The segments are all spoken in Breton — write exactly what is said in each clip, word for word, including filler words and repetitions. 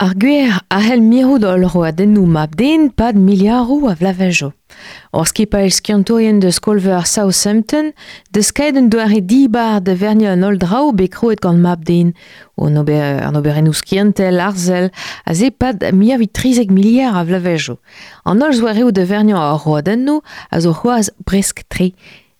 Ar gwer a c'hell mirout holl roadennoù mab-den pad miliaroù a vloavezhioù. Ur skipailh skiantourien deus skol-veur Southampton deus kaet un doare dibar da verniañ an holl draoù bet krouet gant mab-den, an ober, an oberennoù skiantel, arzel, a se pad muiañ trizek miliard a vloavezhioù. An holl zoareoù da verniañ ar roadennoù a zo c'hoazh bresk-tre.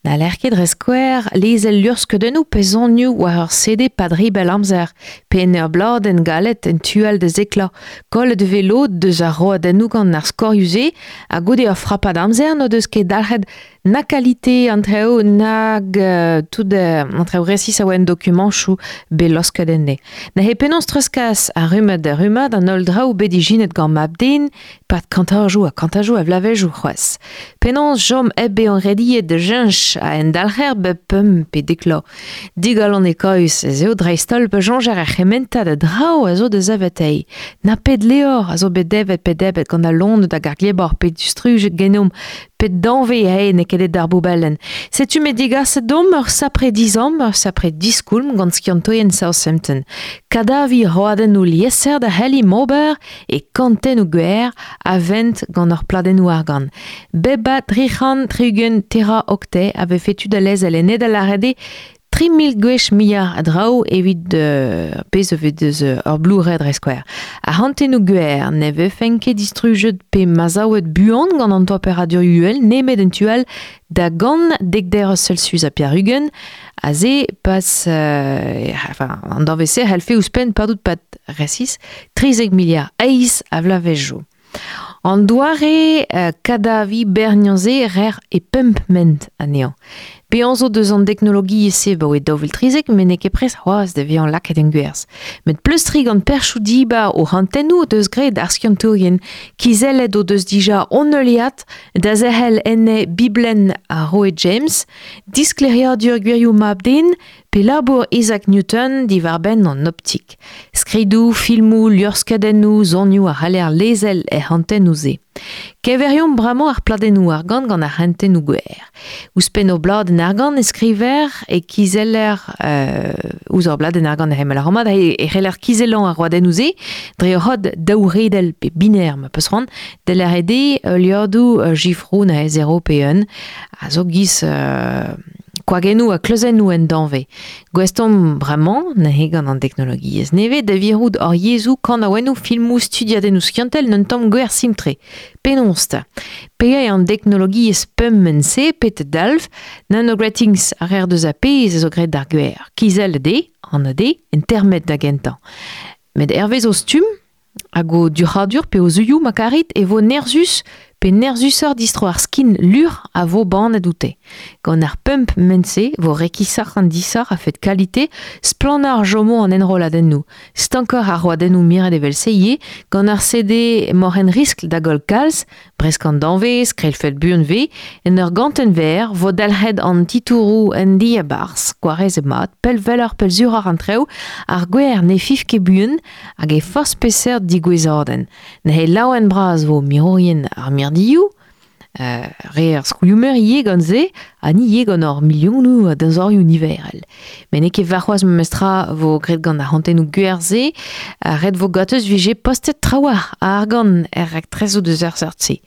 N'haller ket dre skouer lezel luc'hskeudennoù pe sonioù war ur C D pad ribell amzer, pe en ur bladenn galet en tu all da zeklañ. Kollet e vez lod deus ar roadennoù gant ar skorioù-se, ha goude ur frapad amzer n'o deus ket dalc'het na kalite an traoù nag euh, tout euh, an traoù resis a oa en dokumantoù bet losket enne. Neuze penaos treuzkas ar rummad da rummad an holl draoù bet ijinet gant mab-den pad kantajoù ha kantajoù a vloavezhioù c'hoazh. Penaos chom hep bezañ rediet da cheñch a endalc'her bep pemp pe dek vloaz. Digalonekaus ez eo dreist-holl pa soñjer er c'hementad a draoù a zo da saveteiñ. Na pet levr a zo bet devet pe debret gant al loened hag ar glebor pe distrujet genomp pet danvez ae n'eo ket d'ar boubellenn. Setu me digaset domp ur sapre dizamm, ur sapre diskoulm gant skiantourien Southampton. Kadavi roadennoù lieser da c'helli m'ober e kantennoù gwer a vent gant ur pladennoù argant. Beba tri c'hant tri-ugent tera octet a vefe tu da lezel en ed a lâret eo tri mil gwech muioc'h a draoù evit euh, pezh a vez deus ur Blu-ray dre skouer. Ar c'hantennoù gwer ne vefen ket distrujet pe mazaouet buan gant an temperadur uhel nemet en tu all da gant dek derez Celsius ha pevar-ugent, a se pas euh, enfin, an danvez-se c'hellfe ouzhpenn padout pad resis trizek miliard eizh a vloavezhioù. An doare euh, kadavi berniañ-se rer e pemp ment anezhañ. Bezañ zo deus an teknologiezh-se 'baoe daou vil trizek, met n'eo ket prest c'hoazh da vezañ lakaet en gwerzh. Met pleustriñ gant perchoù dibar o c'hantennoù deus graet ar skiantourien kizellet o deus dija hon heuliad da zerc'hel enne Biblenn ar Roe James, disklêriadur gwirioù mab-den pe labour Isaac Newton diwar-benn an optik. Skridoù, filmoù, luc'hskeudennoù, sonioù a c'haller lezel er c'hantennoù-se. Keñveriomp bremañ ar pladennoù argant gant ar c'hantennoù gwer. Ouzhpenn ur bladenn argant e skriver e kizeller euh, ouzh ur bladenn argant e c'hemel ar romad e c'heller kizellañ ar roadennoù-se dre ur c'hod daouredel pe binaire ma peus c'hoant da lâret eo liodoù euh, jifroù neuze zero pe un a zo giz euh, koagennoù ha kleuzennoù en danvez. Gouest omp bremañ, neuze gant an teknologiezh nevez, da virout hor yezhoù, kanaouennoù, filmoù, studiadennoù skiantel n'un tamm gwer simtre. Penaos 'ta? Pe eo an teknologiezh pemp-se pet dalv, nanogratings a rer deus a pezh a zo graet d'ar gwer. Kizellet eo, an A D, en termet da gentañ. Met hervez o stumm, hag o durc'hadur pe o zuioù ma karit e vo nerzhus pe nerzhusoc'h distro ar skin lur a vo bannet oute. Gant ar pemp ment-se vo rekisoc'h an disoc'h a-fet kalite, splannañ ar jomo an enrolladennoù. Stankoc'h ar roadennoù miret evel-se ivez, gant ar C D moc'h en riskl da goll kalz, bresk an danvez, krelfet buan vez, en ur gantenn verr vo dalc'het an titouroù en diabarzh, gwarezet mat, pell welloc'h pell suroc'h an traoù, ar gwer ne fiv ket buan hag e forzh peseurt digouezadenn. Neuze laouen bras vo mirourien ar mirdioù, euh, re ar skolioù-meur ivez gant se, ha ni ivez gant hor milionoù a deñzorioù niverel. Met n'eo ket warc'hoazh memestra vo graet gant ar c'hantennoù gwer-se, ha ret vo ganteus vije postet trawalc'h a argant er raktresoù deus ar seurt-se.